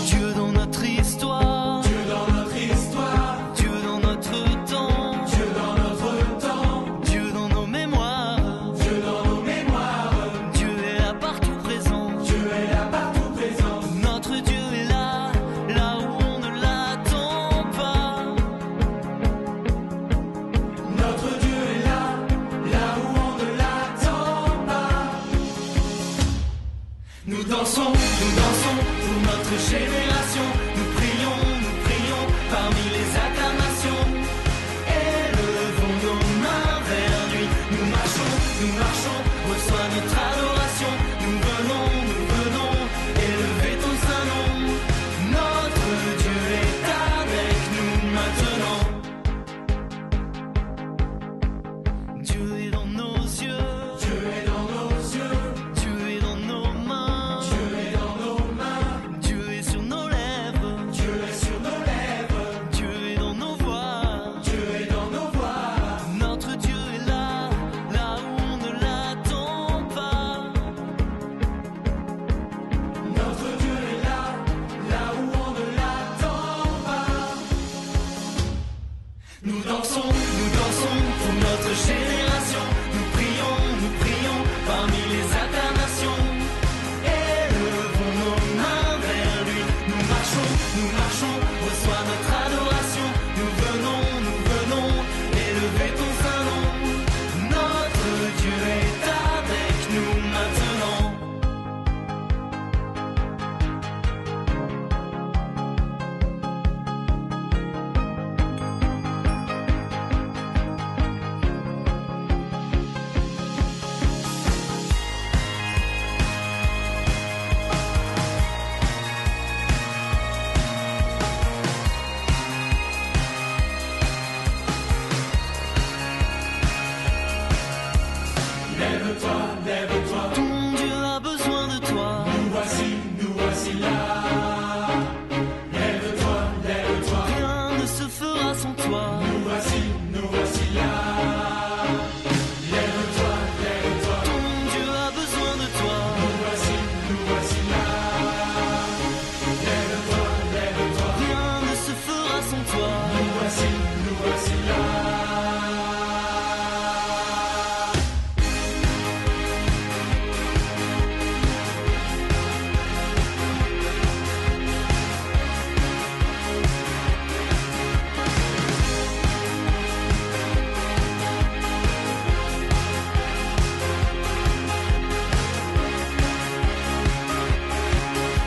Dieu dans notre histoire, Dieu dans notre histoire, Dieu dans notre temps, Dieu dans notre temps, Dieu dans nos mémoires, Dieu dans nos mémoires. Dieu est là partout présent, Dieu est là partout présent. Notre Dieu est là, là où on ne l'attend pas. Notre Dieu est là, là où on ne l'attend pas. Nous dansons, nous dansons pour notre génération. Nous prions, nous prions parmi les acclamations. Élevons nos mains vers lui. Nous marchons, nous marchons au notre adoration. Nous venons, nous venons élever ton saint nom. Notre Dieu est avec nous maintenant. Dieu est dans nos yeux. Dieu est dans nos yeux. Dieu est dans nos mains. Dieu est dans nos mains. Dieu est sur nos lèvres. Dieu est sur nos lèvres. Dieu est dans nos voix. Dieu est dans nos voix. Notre Dieu est là, là où on ne l'attend pas. Notre Dieu est là, là où on ne l'attend pas. Nous dansons, nous dansons pour notre génération. Nous prions, nous prions parmi les incarnations. Élevons nos mains vers lui. Nous marchons, nous marchons, reçois notre adoration. Nous venons, nous venons élever ton saint nom. Notre Dieu est avec nous maintenant. Lève-toi, lève-toi. Ton Dieu a besoin de toi. Nous voici, nous voici là. Lève-toi, lève-toi. Rien ne se fera sans toi. Nous voici, nous voici là. Lève-toi, lève-toi. Ton Dieu a besoin de toi. Nous voici, nous voici là. Lève-toi, lève-toi. Rien ne se fera sans toi. Nous voici, nous voici là.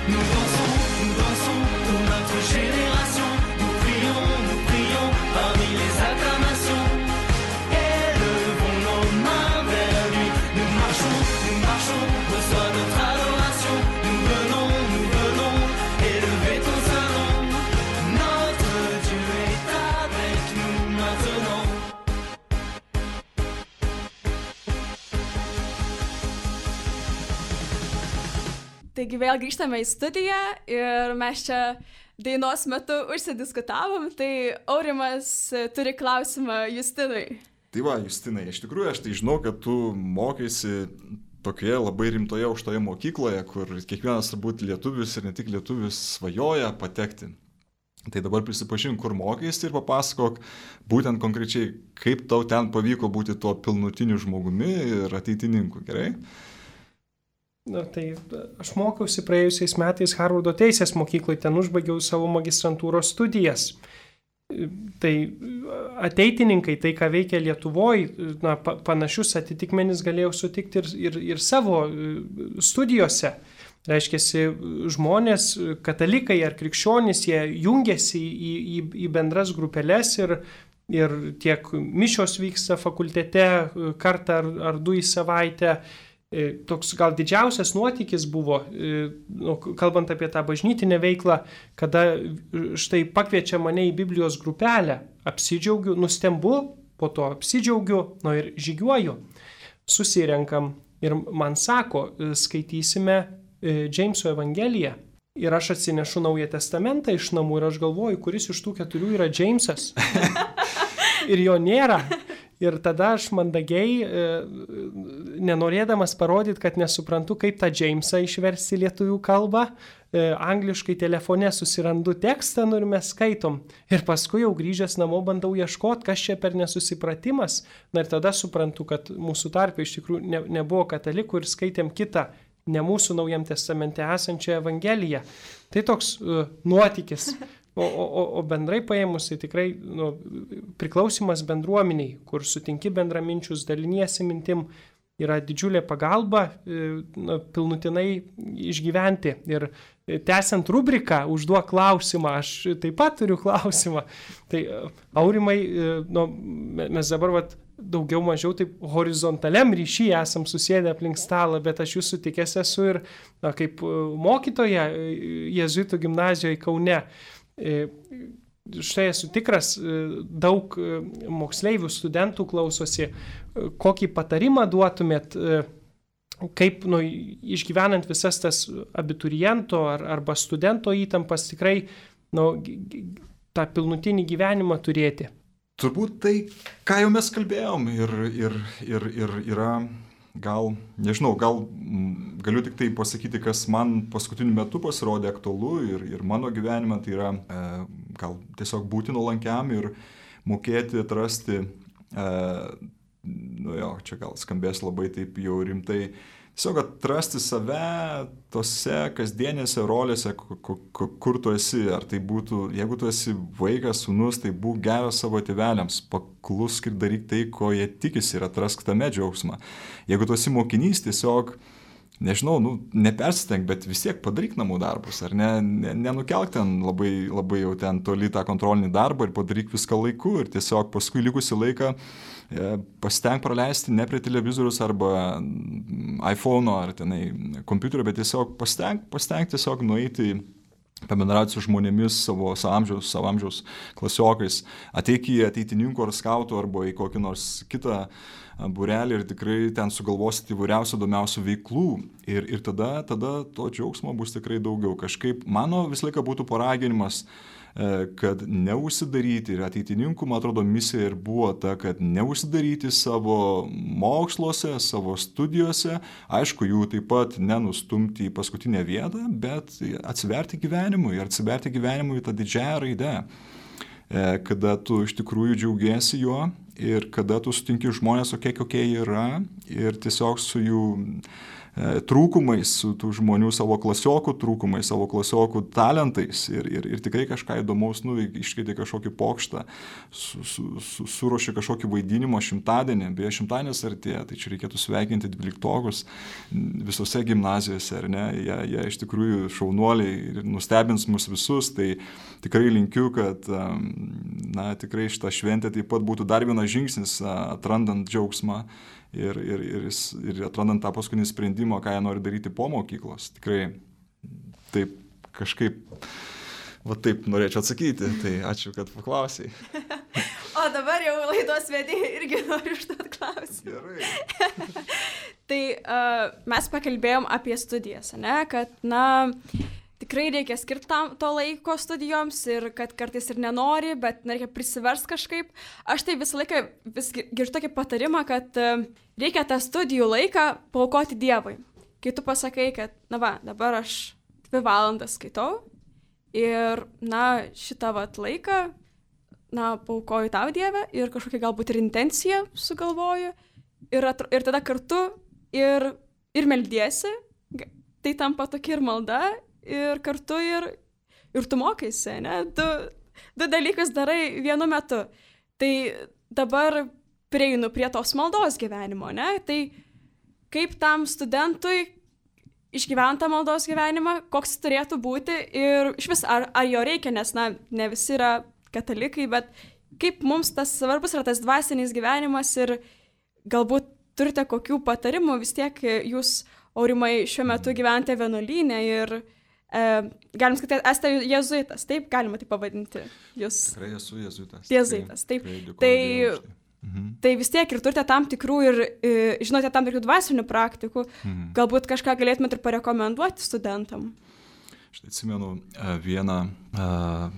Nous dansons, nous dansons pour notre génération. Nous prions, nous prions parmi les acclamations. Élevons nos mains vers lui. Nous marchons, nous marchons, reçois notre adoration. Nous venons, nous venons élever ton saint nom. Notre Dieu est avec nous maintenant. Taigi vėl grįžtame į studiją ir mes čia dainos metu užsidiskutavom, tai Aurimas turi klausimą Justinui. Tai va, Justinai, iš tikrųjų aš tai žinau, kad tu mokėsi tokioje labai rimtoje aukštoje mokykloje, kur kiekvienas turbūt lietuvis ir ne tik lietuvis svajoja patekti. Tai dabar prisipažink, kur mokėsi ir papasakok būtent konkrečiai, kaip tau ten pavyko būti tuo pilnutiniu žmogumi ir ateitininku, gerai? Na, tai aš mokiausi praėjusiais metais Harvardo teisės mokykloje, ten užbaigiau savo magistrantūros studijas. Tai ateitininkai, tai ką veikia Lietuvoje, na, panašius atitikmenis galėjau sutikti ir, ir, ir savo studijose. Reiškiasi, žmonės, katalikai ar krikščionys, jie jungiasi į, į, į bendras grupeles ir, ir tiek mišios vyksta fakultete kartą ar, ar du į savaitę. Toks gal didžiausias nuotykis buvo, kalbant apie tą bažnytinę veiklą, kada štai pakviečia mane į Biblijos grupelę, apsidžiaugiu, nustembu, po to apsidžiaugiu, nu ir žygiuoju, susirenkam ir man sako, skaitysime Džeimso Evangeliją. Ir aš atsinešu Naują Testamentą iš namų ir aš galvoju, kuris iš tų keturių yra Džeimsas. Ir jo nėra. Ir tada aš mandagiai, nenorėdamas parodyti, kad nesuprantu, kaip tą Džeimsą išversti lietuvių kalbą, angliškai telefone susirandu tekstą, nu ir mes skaitom. Ir paskui jau grįžęs namo bandau ieškoti, kas čia per nesusipratimas. Na ir tada suprantu, kad mūsų tarpe iš tikrųjų ne, nebuvo katalikų ir skaitėm kitą, ne mūsų Naujam Testamente esančią Evangeliją. Tai toks uh, nuotykis. O, o, o bendrai paėmus, tai tikrai nu, priklausimas bendruomeniai, kur sutinki bendraminčius, daliniesi mintim, yra didžiulė pagalba nu, pilnutinai išgyventi. Ir tęsiant rubriką, užduok klausimą, aš taip pat turiu klausimą. Tai Aurimai, nu, mes dabar vat, daugiau mažiau taip horizontaliam ryšy esam susėdę aplink stalą, bet aš jūsų tikęs esu ir na, kaip mokytoja jėzuitų gimnazijoje Kaune. Štai esu tikras, daug moksleivių, studentų klausosi, kokį patarimą duotumėt, kaip nu, išgyvenant visas tas abituriento ar, arba studento įtampas tikrai nu, tą pilnutinį gyvenimą turėti. Turbūt tai, ką jau mes kalbėjom ir, ir, ir, ir yra, gal, nežinau, gal galiu tik tai pasakyti, kas man paskutiniu metu pasirodė aktualu ir, ir mano gyvenime, tai yra e, gal tiesiog būti nuolankiam ir mokėti atrasti, e, nu jo, čia gal skambės labai taip jau rimtai, tiesiog atrasti save tose kasdienėse rolėse, kur tu esi. Ar tai būtų, jeigu tu esi vaikas, sūnus, tai būk geras savo tėveliams, paklusk ir daryk tai, ko jie tikisi ir atrask tame džiaugsmą. Jeigu tu esi mokinys, tiesiog, nežinau, nu, nepersistenk, bet vis tiek padaryk namų darbus, ar ne, nenukelk ten labai, labai jau ten toli tą kontrolinį darbą ir padaryk viską laiku ir tiesiog paskui likusi laiką pasitenk praleisti ne prie televizorius arba iPhone'o ar tenai kompiuterio, bet tiesiog pasitenk, pasitenk tiesiog nueiti, pabendrauti su žmonėmis savo, savo amžiaus, savo amžiaus klasiokais, ateik į ateitininkų ar skautų arba į kokį nors kitą būrelį ir tikrai ten sugalvosit įvairiausių įdomiausių veiklų ir, ir tada, tada to džiaugsmo bus tikrai daugiau. Kažkaip mano visą laiką būtų paraginimas, kad neužsidaryti ir ateitininkų, man atrodo, misija ir buvo ta, kad neužsidaryti savo moksluose, savo studijose, aišku, jų taip pat nenustumti į paskutinę vietą, bet atsiverti gyvenimui ir atsiverti gyvenimui tą didžiąją raidę, kada tu iš tikrųjų džiaugiesi juo ir kada tu sutinki žmonės tokie, kokie jie yra ir tiesiog su jų trūkumais, su tų žmonių savo klasiokų trūkumais, savo klasiokų talentais ir, ir, ir tikrai kažką įdomaus nuveikti, iškeitė kažkokį pokštą, su, su, su, suruošė kažkokį vaidinimo šimtadienį, beje šimtadienis artėja, tai čia reikėtų sveikinti dvyliktokus visose gimnazijose, ar ne, jie, jie iš tikrųjų šaunuoliai ir nustebins mus visus, tai tikrai linkiu, kad na, tikrai šitą šventę taip pat būtų dar vienas žingsnis atrandant džiaugsmą Ir, ir, ir, ir atrandant tą paskutinį sprendimą, ką jie nori daryti po mokyklos. Tikrai taip kažkaip, va taip norėčiau atsakyti, tai ačiū, kad paklausai. O dabar jau laidos vedėjai irgi noriu užduoti klausimą. Gerai. Tai uh, mes pakalbėjom apie studijas, ne, kad, na, tikrai reikia skirti tam to laiko studijoms ir kad kartais ir nenori, bet reikia prisiversti kažkaip. Aš tai visą laiką vis girdžiu tokį patarimą, kad uh, reikia tą studijų laiką paaukoti Dievui. Kai tu pasakai, kad, na va, dabar aš dvi valandas skaitau ir, na, šitą vat laiką, na, paaukoju tau Dievę ir kažkokią galbūt ir intenciją sugalvoju ir, atro, ir tada kartu ir, ir meldiesi, tai tampa tokia ir malda ir kartu ir, ir tu mokaisi, ne? Du, du dalykus darai vienu metu. Tai dabar prieinu prie tos maldos gyvenimo, ne? Tai kaip tam studentui išgyventi maldos gyvenimą, koks turėtų būti ir iš vis, ar, ar jo reikia, nes, na, ne visi yra katalikai, bet kaip mums tas svarbus yra tas dvasinis gyvenimas ir galbūt turite kokių patarimų, vis tiek jūs, Aurimai, šiuo metu gyvente vienuolyne ir e, galim sakyti, esate jėzuitas, taip galima tai pavadinti jūs. Tikrai esu jėzuitas. Jėzuitas, taip. Tai, mhm. tai vis tiek ir turite tam tikrų ir e, žinote tam tikrų dvasinių praktikų, mhm. galbūt kažką galėtumėte ir parekomenduoti studentam. Štai atsimenu vieną a,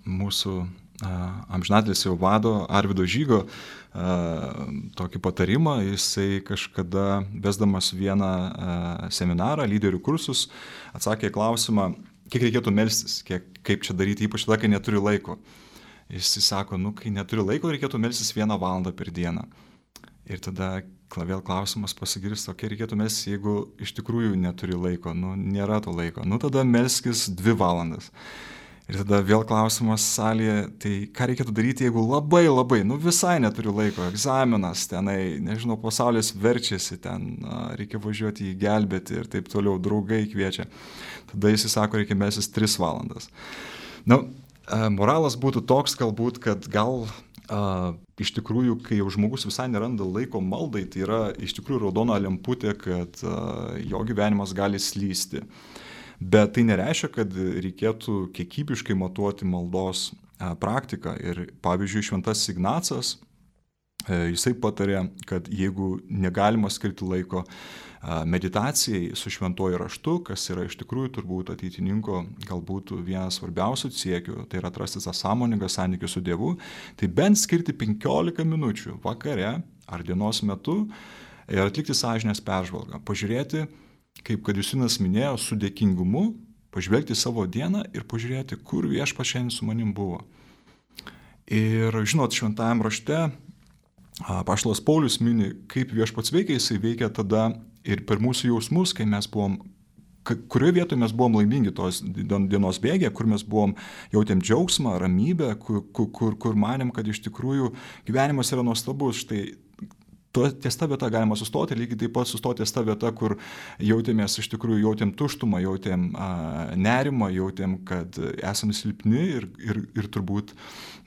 mūsų amžinatelis jau vado Arvydo Žygo a, tokį patarimą. Jisai kažkada vesdamas vieną a, seminarą, lyderių kursus, atsakė klausimą, kiek reikėtų melstis, kiek, kaip čia daryti, ypač tada, kai neturi laiko. Jisai sako, nu, kai neturi laiko, reikėtų melstis vieną valandą per dieną. Ir tada vėl klausimas pasigirsta, kiek reikėtų melstis, jeigu iš tikrųjų neturi laiko, nu, nėra to laiko. Nu, tada melskis dvi valandas. Ir tada vėl klausimas salėje, tai ką reikėtų daryti, jeigu labai labai, nu visai neturiu laiko, egzaminas, tenai, nežinau, pasaulis verčiasi, ten reikia važiuoti į gelbėti ir taip toliau, draugai kviečia. Tada jis sako, reikia melstis tris valandas. Nu, moralas būtų toks galbūt, kad gal a, iš tikrųjų, kai jau žmogus visai neranda laiko maldai, tai yra iš tikrųjų raudona lemputė, kad a, jo gyvenimas gali slysti. Bet tai nereiškia, kad reikėtų kiekybiškai matuoti maldos a, praktiką. Ir pavyzdžiui, Šventasis Ignacas, e, jisai patarė, kad jeigu negalima skirti laiko meditacijai su šventuoju raštu, kas yra iš tikrųjų turbūt ateitininko galbūt vienas svarbiausių siekių, tai yra atrasti tą sąmoningą santykį su Dievu, tai bent skirti penkiolika minučių vakare ar dienos metu ir atlikti sąžinės peržvalgą. Pažiūrėti, kaip kad Justinas minėjo, su dėkingumu, pažvelgti savo dieną ir pažiūrėti, kur Viešpats šiandien su manim buvo. Ir žinot, šventajam rašte apaštalas Paulius mini, kaip Viešpats veikia, jisai veikia tada ir per mūsų jausmus, kai mes buvom, kurioje vietoje mes buvom laimingi tos dienos bėgė, kur mes buvom, jautėm džiaugsmą, ramybę, kur, kur, kur manėm, kad iš tikrųjų gyvenimas yra nuostabus. Štai to, ties ta vieta galima sustoti, lygiai taip pat sustoti ties ta vieta, kur jautėmės, iš tikrųjų jautėm tuštumą, jautėm a, nerimą, jautėm, kad esame silpni ir, ir, ir turbūt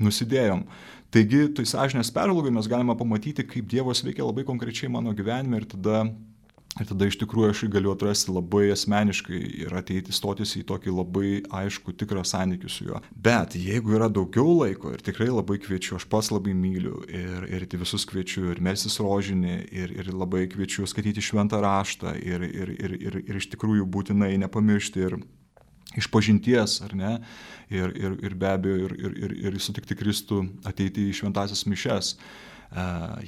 nusidėjom. Taigi, tai sąžinės peržvalgai mes galime pamatyti, kaip Dievas veikia labai konkrečiai mano gyvenime ir tada Ir tada iš tikrųjų aš galiu atrasti labai asmeniškai ir ateiti stotis į tokį labai aišku, tikrą santykį su juo. Bet jeigu yra daugiau laiko ir tikrai labai kviečiu, aš pats labai myliu ir, ir visus kviečiu ir melstis rožinį ir, ir labai kviečiu skaityti šventą raštą ir, ir, ir, ir, ir iš tikrųjų būtinai nepamiršti ir išpažinties, ar ne, ir, ir, ir be abejo ir, ir, ir, ir sutikti Kristų ateiti į šventąsias mišias.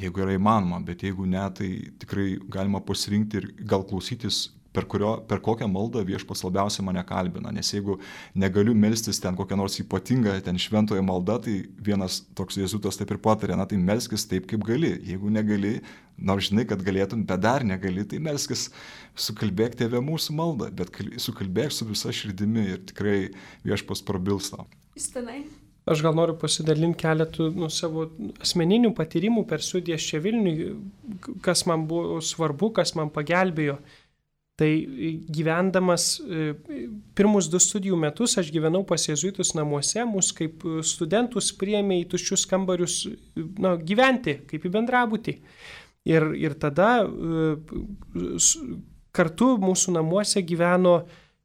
Jeigu yra įmanoma, bet jeigu ne, tai tikrai galima pasirinkti ir gal klausytis, per, kurio, per kokią maldą Viešpats labiausiai mane kalbina. Nes jeigu negaliu melstis ten kokią nors ypatingą, ten šventoje maldą, tai vienas toks jėzuitas taip ir patarė, na tai melskis taip, kaip gali. Jeigu negali, nors žinai, kad galėtum, bet dar negali, tai melskis, sukalbėk Tėve mūsų maldą, bet sukalbėk su visa širdimi ir tikrai Viešpats prabils tau. Justinai. Aš gal noriu pasidalinti keletų nu, savo asmeninių patyrimų per studijas čia Vilniui, kas man buvo svarbu, kas man pagelbėjo. Tai gyvendamas pirmus du studijų metus aš gyvenau pas jėzuitus namuose, mus kaip studentus priėmė į tuščius kambarius na, gyventi, kaip į bendrabutį. Ir, ir tada kartu mūsų namuose gyveno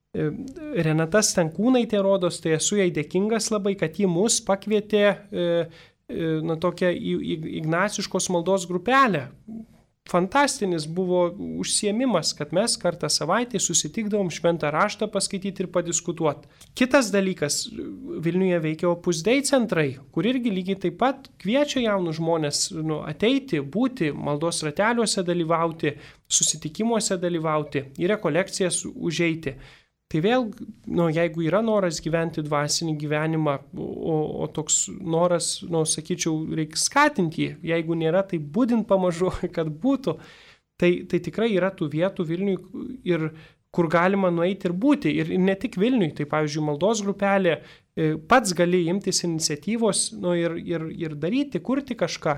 Renata Stankūnaitė, rodos, tai esu jai dėkingas labai, kad ji mus pakvietė na, tokią ignaciškos maldos grupelę. Fantastinis buvo užsiėmimas, kad mes kartą savaitę susitikdavom šventą raštą paskaityti ir padiskutuoti. Kitas dalykas, Vilniuje veikia Opus Dei centrai, kur irgi lygiai taip pat kviečia jaunus žmonės nu, ateiti, būti, maldos rateliuose dalyvauti, susitikimuose dalyvauti, į rekolekcijas užeiti. Tai vėl, nu, jeigu yra noras gyventi dvasinį gyvenimą, o, o toks noras, nu, sakyčiau, reikia skatinti jį, jeigu nėra, tai būdint pamažu, kad būtų, tai, tai tikrai yra tų vietų Vilniui, ir, kur galima nueiti ir būti. Ir ne tik Vilniui, tai pavyzdžiui, maldos grupelė, pats gali imtis iniciatyvos nu, ir, ir, ir daryti, kurti kažką.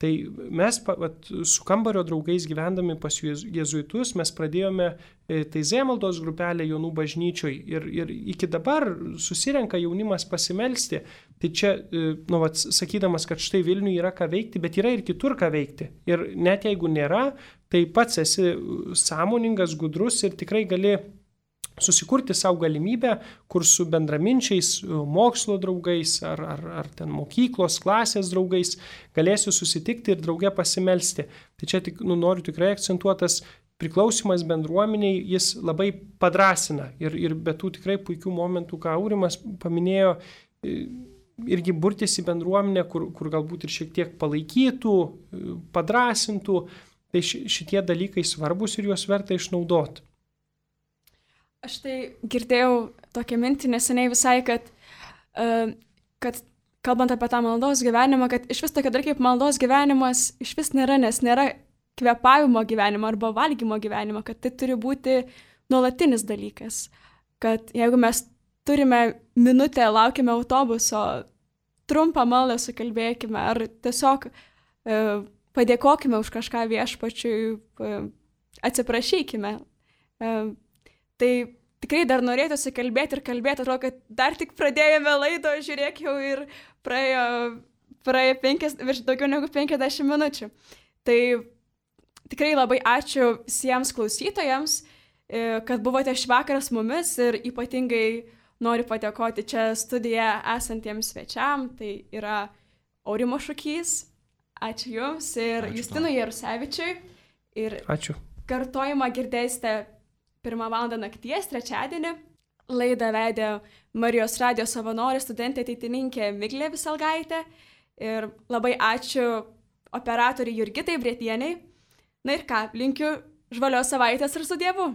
Tai mes vat, su kambario draugais gyvendami pas jėzuitus, mes pradėjome Taizė maldos grupelę Jonų bažnyčioj ir, ir iki dabar susirenka jaunimas pasimelsti. Tai čia, nu, vat, sakydamas, kad štai Vilniui yra ką veikti, bet yra ir kitur ką veikti. Ir net jeigu nėra, tai pats esi sąmoningas, gudrus ir tikrai gali susikurti savo galimybę, kur su bendraminčiais, mokslo draugais ar, ar, ar ten mokyklos, klasės draugais galėsiu susitikti ir drauge pasimelsti. Tai čia tik, nu, noriu tikrai akcentuotas priklausimas bendruomeniai, jis labai padrasina ir, ir be tų tikrai puikių momentų, ką Aurimas paminėjo, irgi burtis į bendruomenę, kur, kur galbūt ir šiek tiek palaikytų, padrasintų, tai šitie dalykai svarbus ir juos verta išnaudoti. Aš tai girdėjau tokią mintį neseniai visai, kad, uh, kad kalbant apie tą maldos gyvenimą, kad iš vis tokia dar kaip maldos gyvenimas iš vis nėra, nes nėra kvėpavimo gyvenimo arba valgymo gyvenimo, kad tai turi būti nuolatinis dalykas. Kad jeigu mes turime minutę, laukime autobuso, trumpą maldą sukalbėkime ar tiesiog uh, padėkokime už kažką viešpačiui, uh, atsiprašykime. Uh, Tai tikrai dar norėtųsi kalbėti ir kalbėti, atrodo, kad dar tik pradėjome laidą, žiūrėk jau ir praėjo praėjo penkias, virš daugiau negu penkiasdešimt minučių. Tai tikrai labai ačiū visiems klausytojams, kad buvote šį vakarą su mumis ir ypatingai noriu padėkoti čia studijoje esantiems svečiam. Tai yra Aurimo Šukys, ačiū Jums, ir ačiū Justinui Jarusevičiui. Ir ačiū. Kartojimą girdėsite pirmą valandą nakties, trečiadienį. Laidą vedė Marijos radijo savanorė, studentė ateitininkė Miglė Viselgaitė. Ir labai ačiū operatoriai Jurgitai Bretieniai. Na ir ką, linkiu žvalios savaitės ir su Dievu.